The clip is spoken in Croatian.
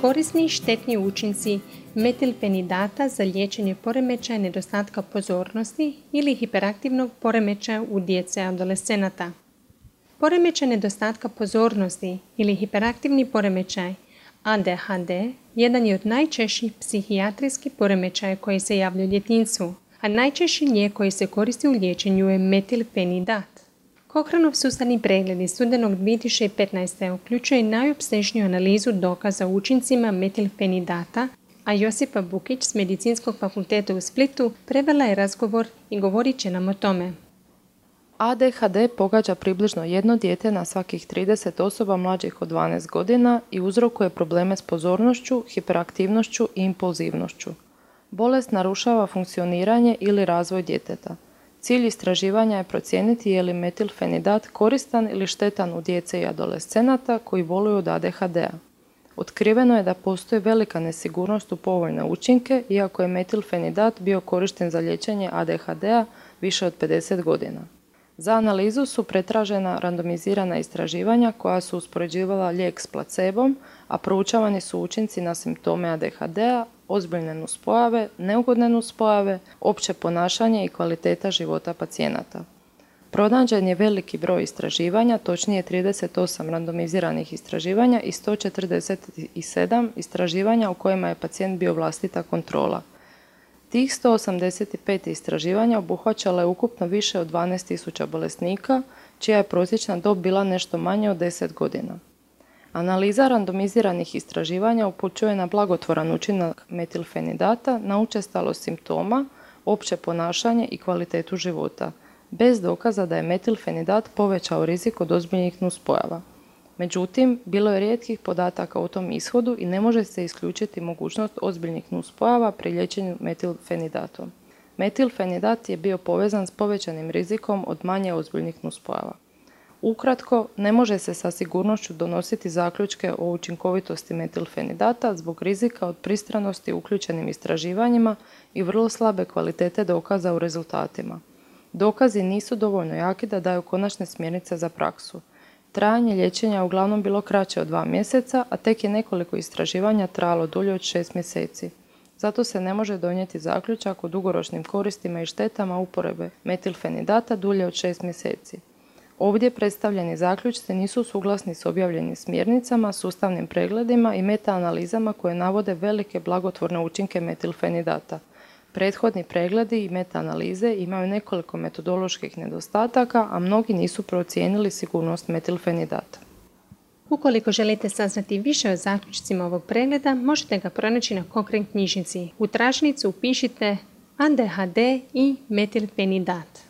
Korisni i štetni učinci metilfenidata za liječenje poremećaja nedostatka pozornosti ili hiperaktivnog poremećaja u djece i adolescenata. Poremećaj nedostatka pozornosti ili hiperaktivni poremećaj ADHD jedan je od najčešćih psihijatrijskih poremećaja koji se javljaju u djetinjstvu, a najčešći lijek koji se koristi u liječenju je metilfenidat. Cochranov sustavni pregled iz studenog 2015. uključuje najopsežniju analizu dokaza o učincima metilfenidata, a Josipa Bukić s Medicinskog fakulteta u Splitu prevela je razgovor i govorit će nam o tome. ADHD pogađa približno jedno dijete na svakih 30 osoba mlađih od 12 godina i uzrokuje probleme s pozornošću, hiperaktivnošću i impulzivnošću. Bolest narušava funkcioniranje ili razvoj djeteta. Cilj istraživanja je procijeniti je li metilfenidat koristan ili štetan u djece i adolescenata koji boluju od ADHD-a. Otkriveno je da postoji velika nesigurnost u povoljne učinke, iako je metilfenidat bio korišten za liječenje ADHD-a više od 50 godina. Za analizu su pretražena randomizirana istraživanja koja su uspoređivala lijek s placebom, a proučavani su učinci na simptome ADHD-a, ozbiljne nuspojave, neugodne nuspojave, opće ponašanje i kvaliteta života pacijenata. Pronađen je veliki broj istraživanja, točnije 38 randomiziranih istraživanja i 147 istraživanja u kojima je pacijent bio vlastita kontrola. Tih 185 istraživanja obuhvaćalo je ukupno više od 12.000 bolesnika, čija je prosječna dob bila nešto manje od 10 godina. Analiza randomiziranih istraživanja upućuje na blagotvoran učinak metilfenidata na učestalost simptoma, opće ponašanje i kvalitetu života, bez dokaza da je metilfenidat povećao rizik od ozbiljnih nuspojava. Međutim, bilo je rijetkih podataka o tom ishodu i ne može se isključiti mogućnost ozbiljnih nuspojava pri liječenju metilfenidatom. Metilfenidat je bio povezan s povećanim rizikom od manje ozbiljnih nuspojava. Ukratko, ne može se sa sigurnošću donositi zaključke o učinkovitosti metilfenidata zbog rizika od pristranosti uključenim istraživanjima i vrlo slabe kvalitete dokaza u rezultatima. Dokazi nisu dovoljno jaki da daju konačne smjernice za praksu. Trajanje liječenja je uglavnom bilo kraće od 2 mjeseca, a tek je nekoliko istraživanja trajalo dulje od 6 mjeseci. Zato se ne može donijeti zaključak o dugoročnim koristima i štetama uporabe metilfenidata dulje od 6 mjeseci. Ovdje predstavljeni zaključci nisu suglasni s objavljenim smjernicama, sustavnim pregledima i metaanalizama koje navode velike blagotvorne učinke metilfenidata. Prethodni pregledi i metaanalize imaju nekoliko metodoloških nedostataka, a mnogi nisu procijenili sigurnost metilfenidata. Ukoliko želite saznati više o zaključcima ovog pregleda, možete ga pronaći na Cochrane knjižnici. U tražnicu upišite ADHD i metilfenidat.